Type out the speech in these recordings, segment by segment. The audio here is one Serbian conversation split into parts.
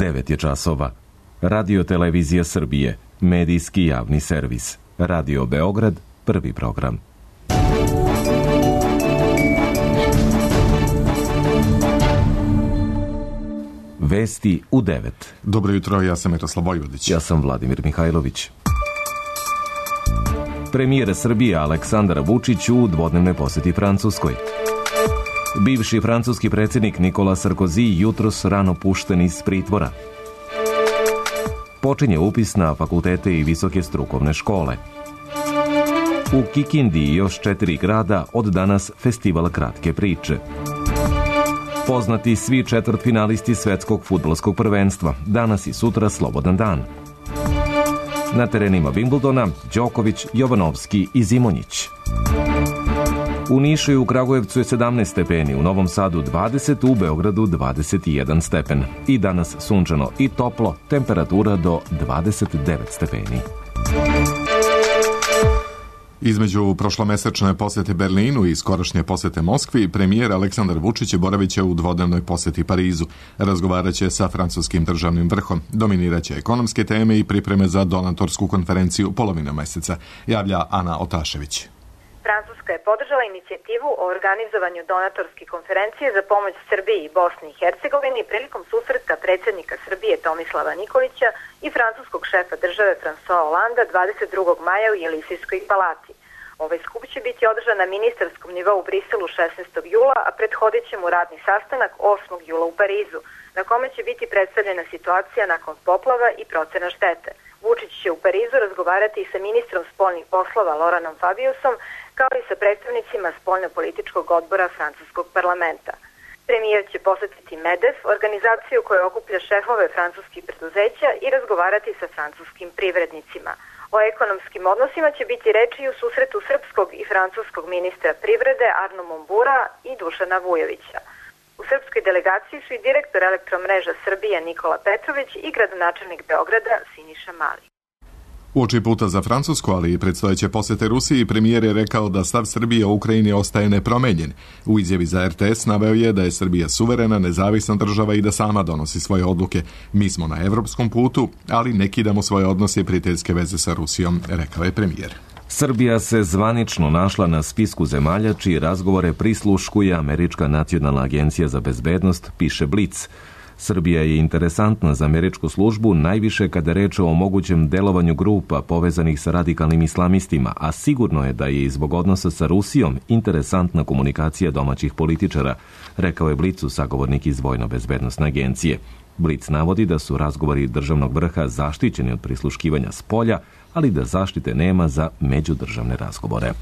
9 je časova. Radio Televizija Srbije, medijski javni servis. Radio Beograd, prvi program. Vesti u 9. Dobro jutro, ja sam Miroslav Vojvodić. Ja sam Vladimir Mihajlović. Premijer Srbije Aleksandar Vučić u dvodnevnoj poseti Francuskoj. Bivši francuski predsjednik Nikola Sarkozy jutros rano pušten iz pritvora. Počinje upis na fakultete i visoke strukovne škole. U Kikindi i još 4 grada od danas festival kratke priče. Poznati svi četvrtfinalisti svetskog fudbalskog prvenstva. Danas i sutra slobodan dan. Na terenima Wimbledona Đoković, Jovanovski i Zimonjić. U Nišu i u Kragujevcu je 17 stepeni, u Novom Sadu 20, u Beogradu 21 stepen. I danas sunčano i toplo, temperatura do 29 stepeni. Između prošlomesečne posete Berlinu i skorašnje posete Moskvi, premijer Aleksandar Vučić boravit će u dvodnevnoj poseti Parizu. Razgovarat će sa francuskim državnim vrhom. Dominirat će ekonomske teme i pripreme za donatorsku konferenciju polovine meseca, javlja Ana Otašević. Francuska je podržala inicijativu o organizovanju donatorske konferencije za pomoć Srbiji i Bosni i Hercegovini prilikom susreta predsjednika Srbije Tomislava Nikolića i francuskog šefa države François Hollanda 22. maja u Jelisejskoj palati. Ovaj skup će biti održan na ministarskom nivou u Briselu 16. jula, a prethodit će mu radni sastanak 8. jula u Parizu, na kome će biti predstavljena situacija nakon poplava i procena štete. Vučić će u Parizu razgovarati i sa ministrom spoljnih poslova Lauranom Fabiusom, kao i sa predstavnicima spoljno-političkog odbora francuskog parlamenta. Premijer će posetiti MEDEF, organizaciju koja okuplja šefove francuskih preduzeća, i razgovarati sa francuskim privrednicima. O ekonomskim odnosima će biti reči i u susretu srpskog i francuskog ministra privrede Arno Mombura i Dušana Vujovića. U srpskoj delegaciji su i direktor Elektromreža Srbije Nikola Petrović i gradonačelnik Beograda Siniša Mali. Uoči puta za Francusku, ali i predstojeće posete Rusiji, premijer je rekao da stav Srbije o Ukrajini ostaje nepromenjen. U izjavi za RTS naveo je da je Srbija suverena, nezavisna država i da sama donosi svoje odluke. Mi smo na evropskom putu, ali ne kidamo svoje odnose i prijateljske veze sa Rusijom, rekao je premijer. Srbija se zvanično našla na spisku zemalja čiji razgovore prisluškuje Američka nacionalna agencija za bezbednost, piše Blic. Srbija je interesantna za američku službu najviše kada je reč o mogućem delovanju grupa povezanih sa radikalnim islamistima, a sigurno je da je i zbog odnosa sa Rusijom interesantna komunikacija domaćih političara, rekao je Blicu sagovornik iz Vojno-bezbednosne agencije. Blic navodi da su razgovori državnog vrha zaštićeni od prisluškivanja s polja, ali da zaštite nema za međudržavne razgovore.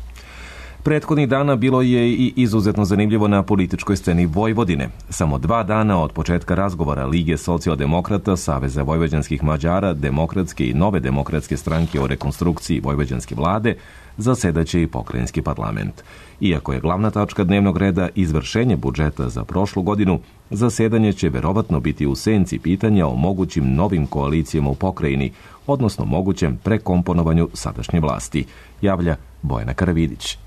Prethodnih dana bilo je i izuzetno zanimljivo na političkoj sceni Vojvodine. Samo 2 dana od početka razgovora Lige socijaldemokrata, Saveza vojvođanskih Mađara, Demokratske i Nove demokratske stranke o rekonstrukciji vojvođanske vlade, zasedaće i pokrajinski parlament. Iako je glavna tačka dnevnog reda izvršenje budžeta za prošlu godinu, zasedanje će verovatno biti u senci pitanja o mogućim novim koalicijama u pokrajini, odnosno mogućem prekomponovanju sadašnje vlasti, javlja Bojana Karavidić.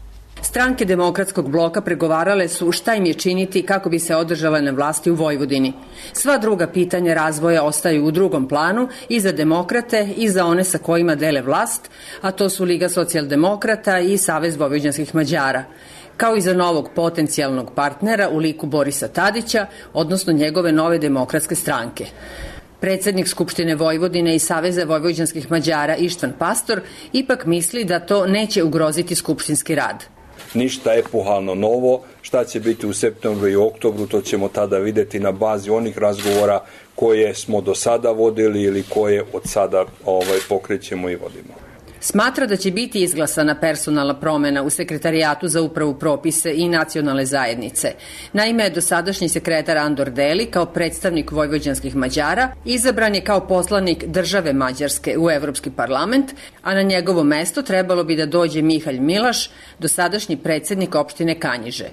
Stranke demokratskog bloka pregovarale su šta im je činiti kako bi se održale na vlasti u Vojvodini. Sva druga pitanja razvoja ostaju u drugom planu i za demokrate i za one sa kojima dele vlast, a to su Liga socijaldemokrata i Savez vojvođanskih Mađara, kao i za novog potencijalnog partnera u liku Borisa Tadića, odnosno njegove Nove demokratske stranke. Predsjednik Skupštine Vojvodine i Saveza vojvođanskih Mađara Ištvan Pastor ipak misli da to neće ugroziti skupštinski rad. Ništa epohalno novo, šta će biti u septembru i oktobru, to ćemo tada videti na bazi onih razgovora koje smo do sada vodili ili koje od sada pokrećemo i vodimo. Smatra da će biti izglasana personalna promjena u Sekretarijatu za upravu propise i nacionalne zajednice. Naime, dosadašnji sekretar Andor Deli kao predstavnik vojvođanskih Mađara izabran je kao poslanik države Mađarske u Evropski parlament, a na njegovo mesto trebalo bi da dođe Mihalj Milaš, dosadašnji predsjednik opštine Kanjiže.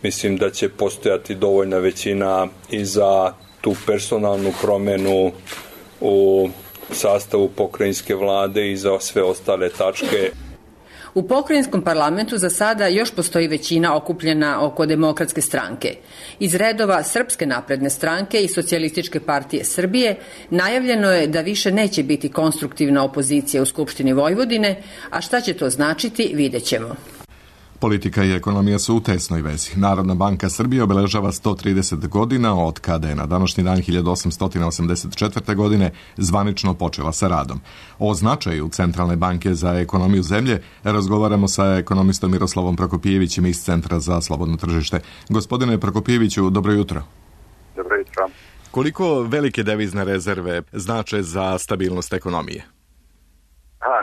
Mislim da će postojati dovoljna većina i za tu personalnu promjenu u sastavu pokrajinske vlade i za sve ostale tačke. U pokrajinskom parlamentu za sada još postoji većina okupljena oko Demokratske stranke. Iz redova Srpske napredne stranke i Socijalističke partije Srbije najavljeno je da više neće biti konstruktivna opozicija u Skupštini Vojvodine, a šta će to značiti vidjet ćemo. Politika i ekonomija su u tesnoj vezi. Narodna banka Srbije obeležava 130 godina od kada je na današnji dan 1884. godine zvanično počela sa radom. O značaju Centralne banke za ekonomiju zemlje razgovaramo sa ekonomistom Miroslavom Prokopijevićem iz Centra za slobodno tržište. Gospodine Prokopijeviću, dobro jutro. Dobro jutro. Koliko velike devizne rezerve znače za stabilnost ekonomije?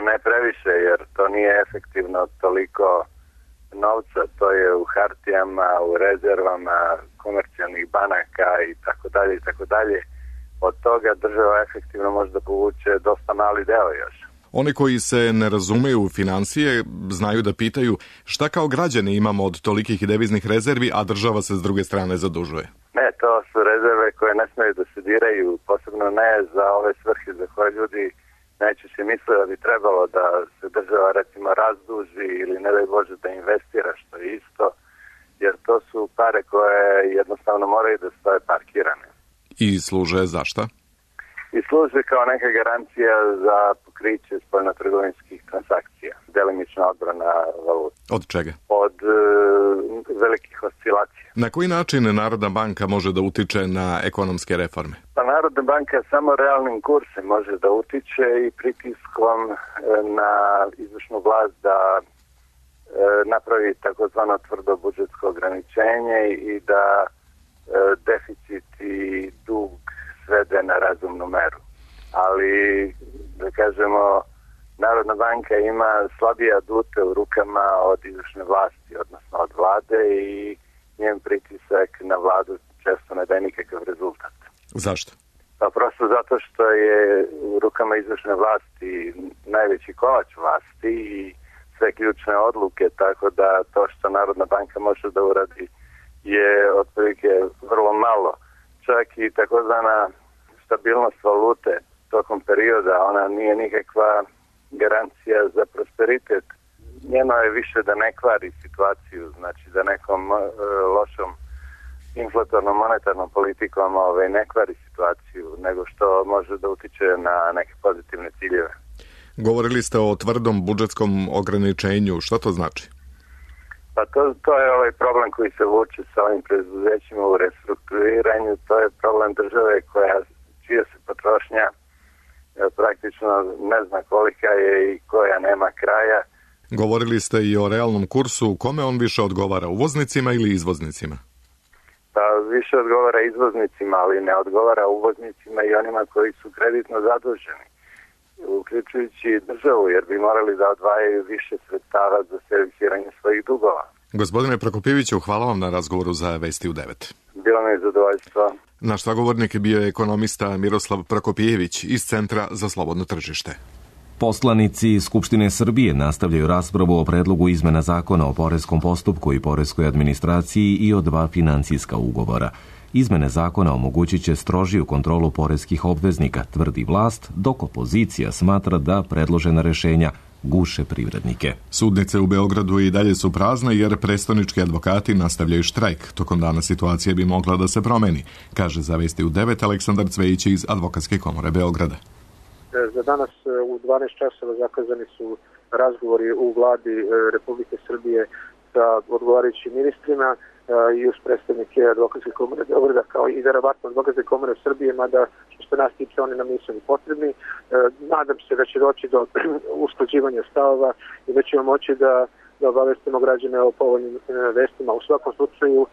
Ne previše, jer to nije efektivno toliko novca, to je u hartijama, u rezervama komercijalnih banaka i tako dalje i tako dalje. Od toga država efektivno može da povuče dosta mali deo još. Oni koji se ne razumeju u financije znaju da pitaju šta kao građani imamo od tolikih deviznih rezervi, a država se s druge strane zadužuje. Ne, to su rezerve koje ne smiju da se diraju, posebno ne za ove svrhe za koje ljudi najčešće misle da bi trebalo da se država recimo razduži ili ne daj Bože da investira, što je isto, jer to su pare koje jednostavno moraju da stoje parkirane. I služe za šta? I služe kao neka garancija za pokriće spoljnotrgovinskih transakcija, delimična odbrana valuta. Od čega? Od velikih oscilacija. Na koji način Narodna banka može da utiče na ekonomske reforme? Pa Narodna banka samo realnim kursem može da utiče i pritiskom na izvršnu vlast da napravi takozvano tvrdo budžetsko ograničenje i da deficit i dug svede na razumnu meru. Ali, da kažemo, Narodna banka ima slabije adute u rukama od izvršne vlasti, odnosno od vlade, i njen pritisak na vladu često ne daje nikakav rezultat. Zašto? Pa prosto zato što je u rukama izvršne vlasti najveći kolač vlasti i sve ključne odluke, tako da to što Narodna banka može da uradi je otprilike vrlo malo. Čak i takozvana stabilnost valute tokom perioda, ona nije nikakva garancija za prosperitet. Njeno je više da ne kvari situaciju, znači da nekom lošom inflatornom monetarnom politikom ne kvari situaciju, nego što može da utiče na neke pozitivne ciljeve. Govorili ste o tvrdom budžetskom ograničenju. Šta to znači? Pa to je ovaj problem koji se vuče sa ovim preduzećima u restrukturiranju. To je problem države čija se potrošnja praktično ne zna kolika je i koja nema kraja. Govorili ste i o realnom kursu. Kome on više odgovara, uvoznicima ili izvoznicima? Pa više odgovara izvoznicima, ali ne odgovara uvoznicima i onima koji su kreditno zaduženi, uključujući državu, jer bi morali da odvajaju više sredstava za servisiranje svojih dugova. Gospodine Prokopijeviću, hvala vam na razgovoru za Vesti u 9. Bilo mi je zadovoljstvo. Naš sagovornik je bio ekonomista Miroslav Prokopijević iz Centra za slobodno tržište. Poslanici Skupštine Srbije nastavljaju raspravu o predlogu izmena zakona o poreskom postupku i poreskoj administraciji i o 2 financijska ugovora. Izmene zakona omogućit će strožiju kontrolu poreskih obveznika, tvrdi vlast, dok opozicija smatra da predložena rešenja guše privrednike. Sudnice u Beogradu i dalje su prazne jer prestonički advokati nastavljaju štrajk. Tokom dana situacija bi mogla da se promeni, kaže za Vesti u 9 Aleksandar Cvejić iz Advokatske komore Beograda. Za danas u 12 časova zakazani su razgovori u vladi Republike Srbije sa odgovarajućim ministrima i uz predstavnike Advokatske komore Beograda, kao i verovatno Advokatske komore Srbije, mada što se nas tiče oni nam nisu ni potrebni. Nadam se da će doći do usklađivanja stavova i da ćemo moći da obavestimo građane o povoljnim vestima. U svakom slučaju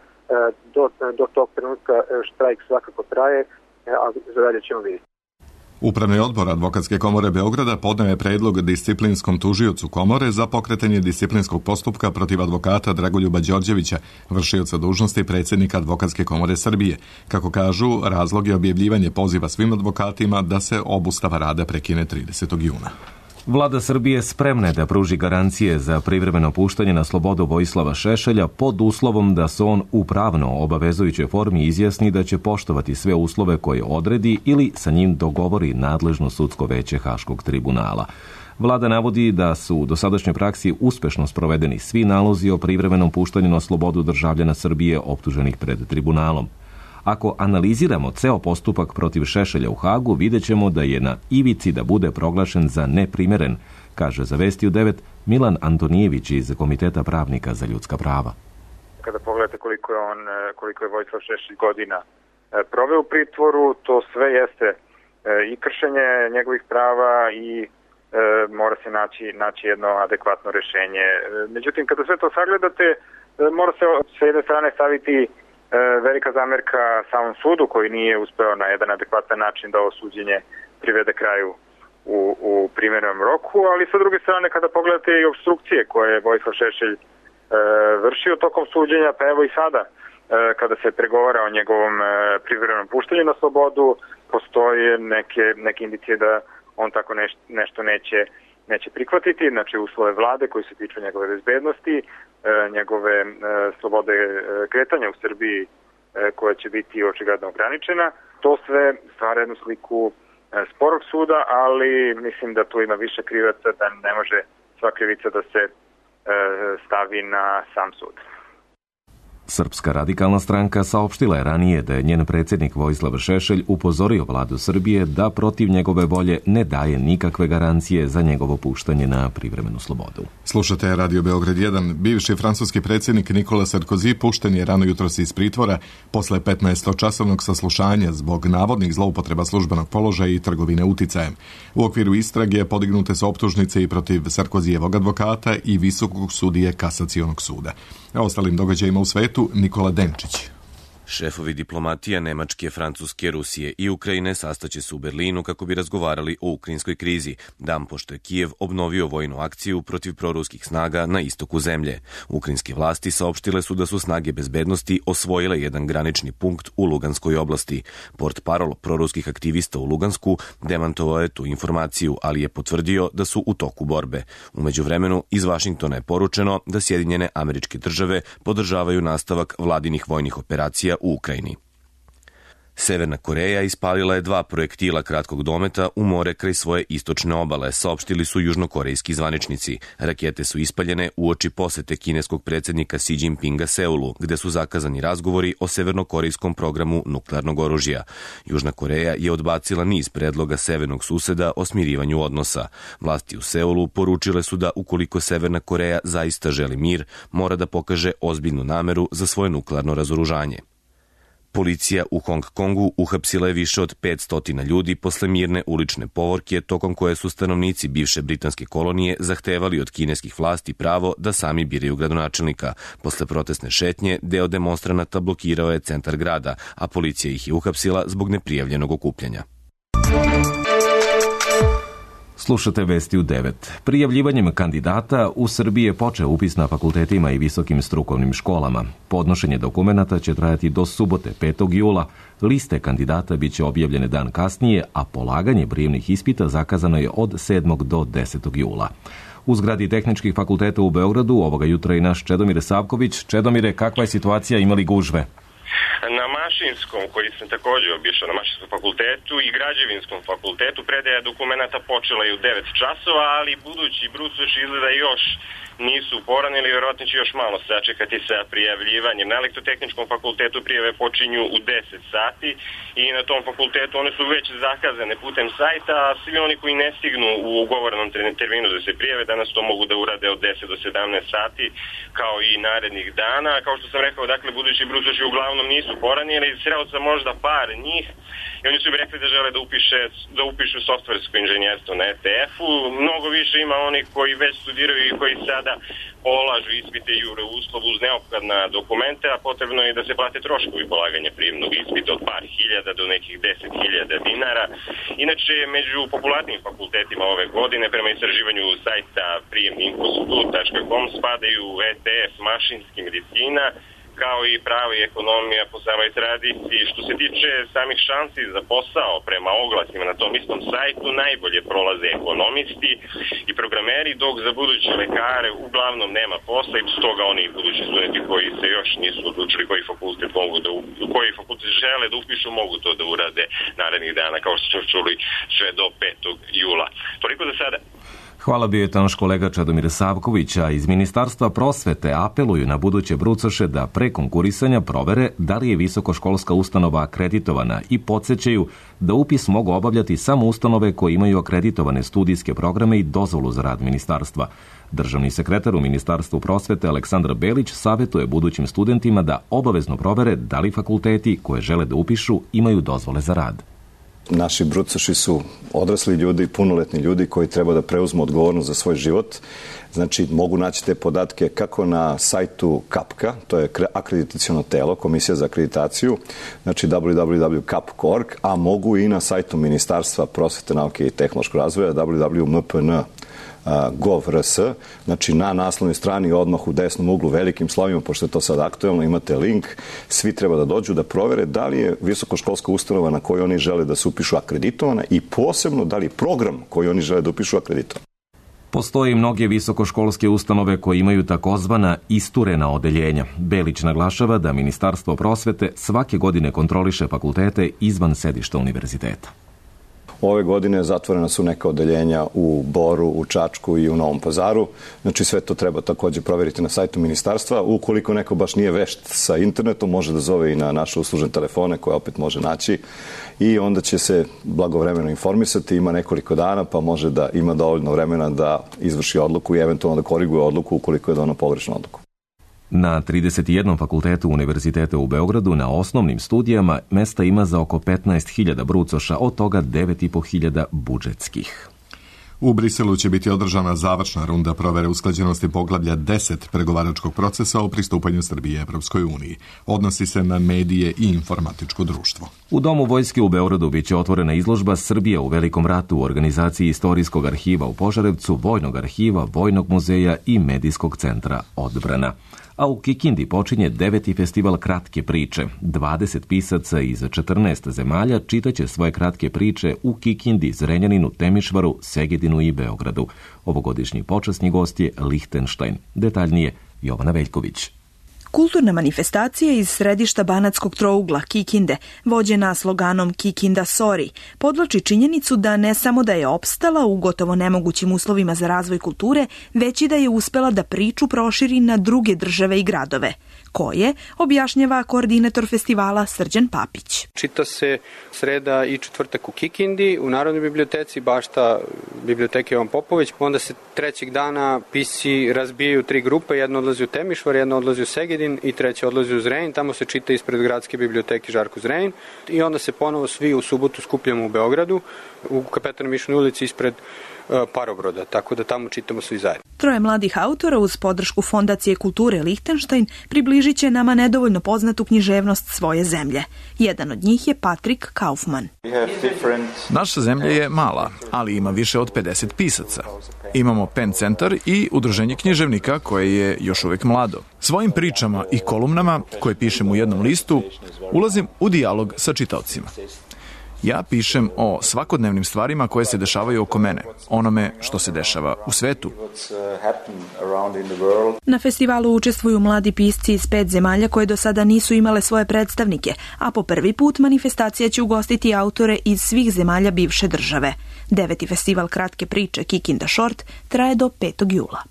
do tog trenutka štrajk svakako traje, a za dalje ćemo vidjeti. Upravni odbor Advokatske komore Beograda podneo je predlog disciplinskom tužiocu komore za pokretanje disciplinskog postupka protiv advokata Dragoljuba Đorđevića, vršioca dužnosti predsjednika Advokatske komore Srbije. Kako kažu, razlog je objavljivanje poziva svim advokatima da se obustava rada prekine 30. juna. Vlada Srbije spremna je da pruži garancije za privremeno puštanje na slobodu Vojislava Šešelja pod uslovom da se on u pravno obavezujućoj formi izjasni da će poštovati sve uslove koje odredi ili sa njim dogovori nadležno sudsko veće Haškog tribunala. Vlada navodi da su u dosadašnjoj praksi uspešno sprovedeni svi nalozi o privremenom puštanju na slobodu državljana Srbije optuženih pred tribunalom. Ako analiziramo ceo postupak protiv Šešelja u Hagu, vidjet ćemo da je na ivici da bude proglašen za neprimeren, kaže za Vesti u 9 Milan Antonijević iz Komiteta pravnika za ljudska prava. Kada pogledate koliko je Vojislav Šešelj godina proveo u pritvoru, to sve jeste i kršenje njegovih prava i mora se naći jedno adekvatno rešenje. Međutim, kada sve to sagledate, mora se s jedne strane staviti velika zamerka samom sudu koji nije uspeo na jedan adekvatan način da ovo suđenje privede kraju u primerenom roku, ali sa druge strane kada pogledate i opstrukcije koje je Vojislav Šešelj vršio tokom suđenja, pa evo i sada kada se pregovara o njegovom privremenom puštanju na slobodu, postoje neke indicije da on tako nešto neće prihvatiti, znači uslove vlade koji se tiču njegove bezbednosti, njegove slobode kretanja u Srbiji koja će biti očigledno ograničena. To sve stvara jednu sliku sporog suda, ali mislim da tu ima više krivaca, da ne može sva krivica da se stavi na sam sud. Srpska radikalna stranka saopštila je ranije da je njen predsjednik Vojislav Šešelj upozorio vladu Srbije da protiv njegove volje ne daje nikakve garancije za njegovo puštanje na privremenu slobodu. Slušate Radio Beograd 1. Bivši francuski predsjednik Nikola Sarkozy pušten je rano jutros iz pritvora posle 15-časovnog saslušanja zbog navodnih zloupotreba službenog položaja i trgovine uticajem. U okviru istrage podignute su optužnice i protiv Sarkozijevog advokata i visokog sudije Kasacionog suda. A ostalim događajima u svetu Nikola Denčić. Šefovi diplomatija Nemačke, Francuske, Rusije i Ukrajine sastaće se u Berlinu kako bi razgovarali o ukrajinskoj krizi, dan pošto je Kijev obnovio vojnu akciju protiv proruskih snaga na istoku zemlje. Ukrajinske vlasti saopštile su da su snage bezbednosti osvojile jedan granični punkt u Luganskoj oblasti. Portparol proruskih aktivista u Lugansku demantovao je tu informaciju, ali je potvrdio da su u toku borbe. U međuvremenu iz Vašingtona je poručeno da Sjedinjene Američke Države podržavaju nastavak vladinih vojnih operacija u Ukrajini. Severna Koreja ispalila je 2 projektila kratkog dometa u more kraj svoje istočne obale, saopštili su južnokorejski zvaničnici. Rakete su ispaljene uoči posete kineskog predsjednika Xi Jinpinga Seulu, gde su zakazani razgovori o severnokorejskom programu nuklearnog oružja. Južna Koreja je odbacila niz predloga severnog suseda o smirivanju odnosa. Vlasti u Seulu poručile su da ukoliko Severna Koreja zaista želi mir, mora da pokaže ozbiljnu nameru za svoje nuklearno razoružanje. Policija u Hong Kongu uhapsila je više od 500 ljudi posle mirne ulične povorke tokom koje su stanovnici bivše britanske kolonije zahtevali od kineskih vlasti pravo da sami biraju gradonačelnika. Posle protestne šetnje, deo demonstranata blokirao je centar grada, a policija ih je uhapsila zbog neprijavljenog okupljanja. Slušate Vesti u 9. Prijavljivanjem kandidata u Srbiji je počeo upis na fakultetima i visokim strukovnim školama. Podnošenje dokumenata će trajati do subote 5. jula. Liste kandidata biće objavljene dan kasnije, a polaganje prijemnih ispita zakazano je od 7. do 10. jula. U zgradi tehničkih fakulteta u Beogradu ovoga jutra i naš Čedomir Savković. Čedomire, kakva je situacija, imali gužve? Na Mašinskom, koji sam također obišao, na Mašinskom fakultetu i Građevinskom fakultetu, predaja dokumenata počela je u 9 časova, ali budući brucoši izgleda još nisu poranili, vjerojatno će još malo sačekati sa prijavljivanjem. Na Elektrotehničkom fakultetu prijave počinju u 10 sati i na tom fakultetu one su već zakazane putem sajta, a svi oni koji ne stignu u ugovorenom terminu da se prijave danas to mogu da urade od 10 do 17 sati kao i narednih dana. Kao što sam rekao, dakle, budući brucoši uglavnom nisu poranili, sreo sam možda par njih i oni su mi rekli da žele da upišu softversko inženjerstvo na ETF-u. Mnogo više ima oni koji već studiraju i koji sada polažu ispite i jure uslov uz neophodna dokumenta, a potrebno je da se plate troškovi polaganja prijemnog ispita od par hiljada do nekih 10.000 dinara. Inače, među popularnim fakultetima ove godine, prema istraživanju sajta prijemniinfostud.com, spadaju ETF, mašinski medicina, kao i pravo i ekonomija po samoj tradiciji. Što se tiče samih šansi za posao prema oglasima na tom istom sajtu, najbolje prolaze ekonomisti i programeri, dok za buduće lekare uglavnom nema posla i stoga oni budući studenti koji se još nisu odlučili koji fakultet žele da upišu, mogu to da urade narednih dana, kao što smo čuli, sve do 5. jula. Toliko za sada. Hvala, bio je to naš kolega Čedomir Savković, a iz Ministarstva prosvete apeluju na buduće brucoše da pre konkurisanja provere da li je visokoškolska ustanova akreditovana i podsjećaju da upis mogu obavljati samo ustanove koje imaju akreditovane studijske programe i dozvolu za rad ministarstva. Državni sekretar u Ministarstvu prosvete Aleksandar Belić savjetuje budućim studentima da obavezno provere da li fakulteti koje žele da upišu imaju dozvole za rad. Naši brucoši su odrasli ljudi, punoletni ljudi koji treba da preuzmu odgovornost za svoj život. Znači, mogu naći te podatke kako na sajtu KAPK-a, to je akreditaciono telo, Komisija za akreditaciju, znači www.kap.org, a mogu i na sajtu Ministarstva prosvete, nauke i tehnološkog razvoja, www.mpn.gov.rs, znači na naslovnoj strani odmah u desnom uglu velikim slovima, pošto je to sad aktuelno, imate link, svi treba da dođu da provere da li je visokoškolska ustanova na koju oni žele da se upišu akreditovana i posebno da li je program koji oni žele da upišu akreditovan. Postoje mnoge visokoškolske ustanove koje imaju takozvana isturena odeljenja. Belić naglašava da Ministarstvo prosvete svake godine kontroliše fakultete izvan sedišta univerziteta. Ove godine zatvorena su neka odeljenja u Boru, u Čačku i u Novom Pazaru. Znači sve to treba također provjeriti na sajtu ministarstva. Ukoliko neko baš nije vešt sa internetom, može da zove i na naše uslužne telefone koje opet može naći i onda će se blagovremeno informisati. Ima nekoliko dana pa može da ima dovoljno vremena da izvrši odluku i eventualno da koriguje odluku ukoliko je donao pogrešnu odluku. Na 31 fakultetu univerziteta u Beogradu na osnovnim studijama mesta ima za oko 15.000 brucoša, od toga 9.500 budžetskih. U Briselu će biti održana završna runda provere usklađenosti poglavlja 10 pregovaračkog procesa o pristupanju Srbije Evropskoj uniji. Odnosi se na medije i informatičko društvo. U Domu vojske u Beogradu biće otvorena izložba Srbija u Velikom ratu u organizaciji Istorijskog arhiva u Požarevcu, Vojnog arhiva, Vojnog muzeja i Medijskog centra Odbrana. A u Kikindi počinje 9. festival kratke priče. 20 pisaca iz 14 zemalja čitaće svoje kratke priče u Kikindi, Zrenjaninu, Temišvaru, Segedinu i Beogradu. Ovogodišnji počasni gost je Lihtenštajn. Detaljnije Jovana Veljković. Kulturna manifestacija iz središta banatskog trougla Kikinde, vođena sloganom Kikinda Sori, podvlači činjenicu da ne samo da je opstala u gotovo nemogućim uslovima za razvoj kulture, već i da je uspela da priču proširi na druge države i gradove. Koje, objašnjava koordinator festivala Srđan Papić. Čita se sreda i četvrtak u Kikindi, u Narodnoj biblioteci, bašta biblioteke Jovan Popović. Onda se trećeg dana pisci razbijaju 3 grupe, jedna odlazi u Temišvar, jedna odlazi u Segedin i treća odlazi u Zrenjanin. Tamo se čita ispred gradske biblioteke Žarko Zrenjanin i onda se ponovo svi u subotu skupljamo u Beogradu, u Kapetanoj Mišonoj ulici ispred Parobroda, tako da tamo čitamo svi zajedno. 3 mladih autora uz podršku Fondacije kulture Lihtenštajn približit će nama nedovoljno poznatu književnost svoje zemlje. Jedan od njih je Patrik Kaufman. Naša zemlja je mala, ali ima više od 50 pisaca. Imamo PEN centar i udruženje književnika koje je još uvijek mlado. Svojim pričama i kolumnama koje pišem u jednom listu ulazim u dijalog sa čitaocima. Ja pišem o svakodnevnim stvarima koje se dešavaju oko mene, onome što se dešava u svetu. Na festivalu učestvuju mladi pisci iz 5 zemalja koje do sada nisu imale svoje predstavnike, a po prvi put manifestacija će ugostiti autore iz svih zemalja bivše države. 9. festival kratke priče Kikinda Short traje do 5. jula.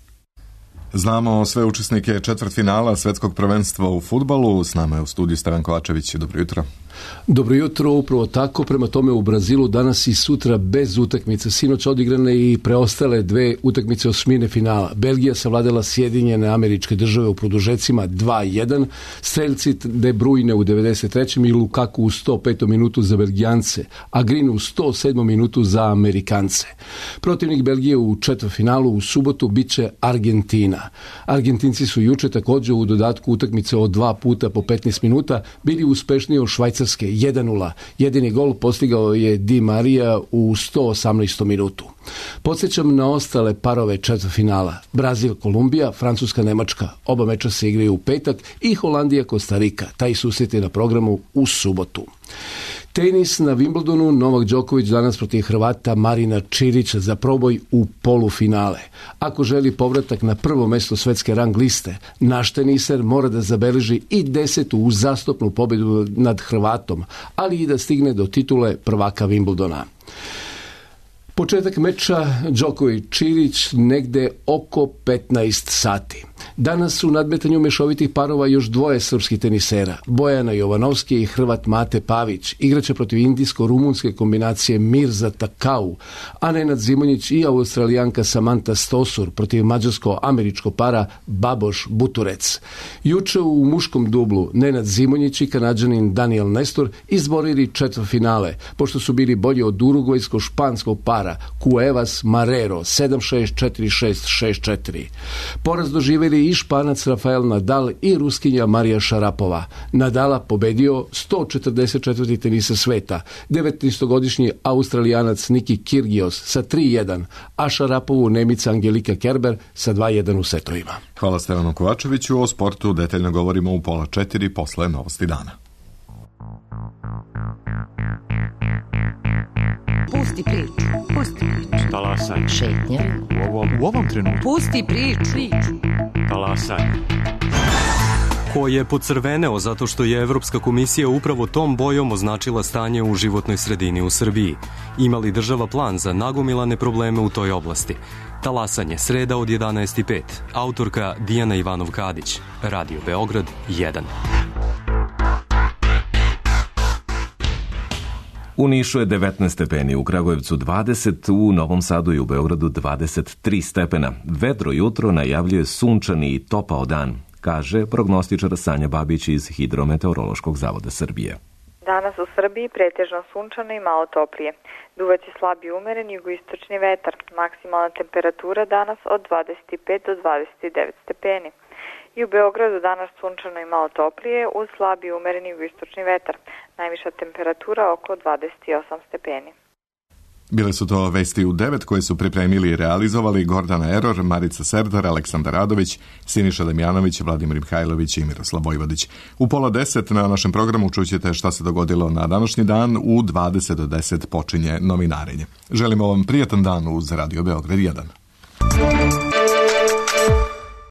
Znamo sve učesnike četvrtfinala svetskog prvenstva u fudbalu. S nama je u studiju Stevan Kovačević. Dobro jutro. Dobro jutro, upravo tako. Prema tome u Brazilu danas i sutra bez utakmice. Sinoć odigrane i preostale 2 utakmice osmine finala. Belgija savladala Sjedinjene Američke Države u produžecima 2-1. Streljci De Bruyne u 93. i Lukaku u 105. minutu za Belgijance, a Green u 107. minutu za Amerikance. Protivnik Belgije u četvrtfinalu u subotu biće Argentina. Argentinci su juče također u dodatku utakmice od 2 puta po 15 minuta bili uspešniji od Švajcarske 1-0. Jedini gol postigao je Di Maria u 118. minutu. Podsjećam na ostale parove četvrtfinala. Brazil, Kolumbija, Francuska, Nemačka. Oba meča se igraju u petak i Holandija, Kostarika. Taj susret je na programu u subotu. Tenis na Wimbledonu. Novak Đoković danas protiv Hrvata Marina Čirića za proboj u polufinale. Ako želi povratak na prvo mesto svetske rang liste, naš teniser mora da zabeleži i 10. uzastopnu pobjedu nad Hrvatom, ali i da stigne do titule prvaka Wimbledona. Početak meča Đoković-Čilić negde oko 15 sati. Danas u nadmetanju mešovitih parova još dvoje srpskih tenisera, Bojana Jovanovski i Hrvat Mate Pavić, igraće protiv indijsko-rumunske kombinacije Mirza Takau, a Nenad Zimonjić i Australijanka Samantha Stosur protiv mađarsko-američko para Baboš Buturec. Juče u muškom dublu Nenad Zimonjić i Kanađanin Daniel Nestor izborili četvrtfinale, pošto su bili bolji od urugvajsko-španskog para Cuevas Marrero 7-6, 4-6, 6-4. Poraz doživjeli i Španac Rafael Nadal i Ruskinja Marija Šarapova. Nadala pobedio 144. tenisa sveta, 19-godišnji Australijanac Niki Kyrgios sa 3-1, a Šarapovu Nemica Angelika Kerber sa 2-1 u setovima. Hvala Stevanu Kovačeviću. O sportu detaljno govorimo u 3:30 posle Novosti dana. Pusti priču. Pusti priču. Talasaj. Šetnja. U ovom trenutku. Pusti priču. Talasaj. Ko je pocrveneo zato što je Evropska komisija upravo tom bojom označila stanje u životnoj sredini u Srbiji. Ima li država plan za nagomilane probleme u toj oblasti? Talasanje, sreda od 11:05. Autorka Dijana Ivanov-Kadić. Radio Beograd 1. U Nišu je 19 stepeni, u Kragujevcu 20, u Novom Sadu i u Beogradu 23 stepena. Vedro jutro najavljuje sunčani i topao dan, kaže prognostičar Sanja Babić iz Hidrometeorološkog zavoda Srbije. Danas u Srbiji pretežno sunčano i malo toplije. Duvaće slab i umeren jugoistočni vetar. Maksimalna temperatura danas od 25 do 29 stepeni. I u Beogradu danas sunčano i malo toplije uz slab i umeren jugoistočni vetar. Najviša temperatura oko 28 stepeni. Bile su to vesti u 9 koje su pripremili i realizovali Gordana Eror, Marica Serdar, Aleksandar Radović, Siniša Damjanović, Vladimir Mihajlović i Miroslav Vojvodić. U 9:30 na našem programu čućete šta se dogodilo na današnji dan. U 20 do 10 počinje novinarenje. Želimo vam prijatan dan uz Radio Beograd 1.